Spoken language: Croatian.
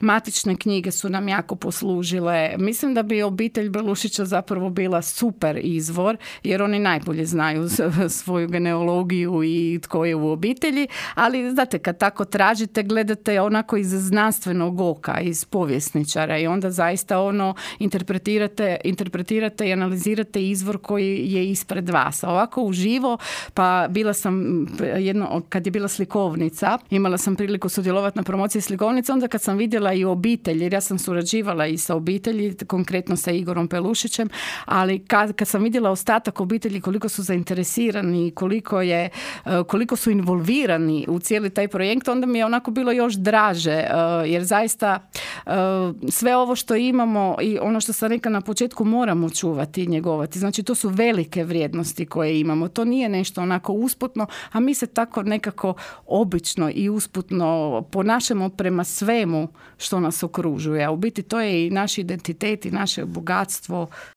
Matične knjige su nam jako poslužile. Mislim da bi obitelj Belušića zapravo bila super izvor, jer oni najbolje znaju svoju genealogiju i tko je u obitelji, ali znate, kad tako tražite, gledate onako iz znanstvenog oka, iz povjesničara i onda zaista interpretirate i analizirate izvor koji je ispred vas. A ovako uživo, pa bila sam kad je bila slikovnica, imala sam priliku sudjelovati na promociji slikovnice, onda kad sam vidjela i obitelj, jer ja sam surađivala i sa obitelji, konkretno sa Igorom Pelušićem, ali kad sam vidjela ostatak obitelji, koliko su zainteresirani, koliko su involvirani u cijeli taj projekt, onda mi je onako bilo još draže, jer zaista sve ovo što imamo i ono što sam rekla na početku moramo čuvati i njegovati. Znači, to su velike vrijednosti koje imamo. To nije nešto onako usputno, a mi se tako nekako obično i usputno ponašamo prema svemu što nas okružuje. A u biti to je i naš identitet i naše bogatstvo.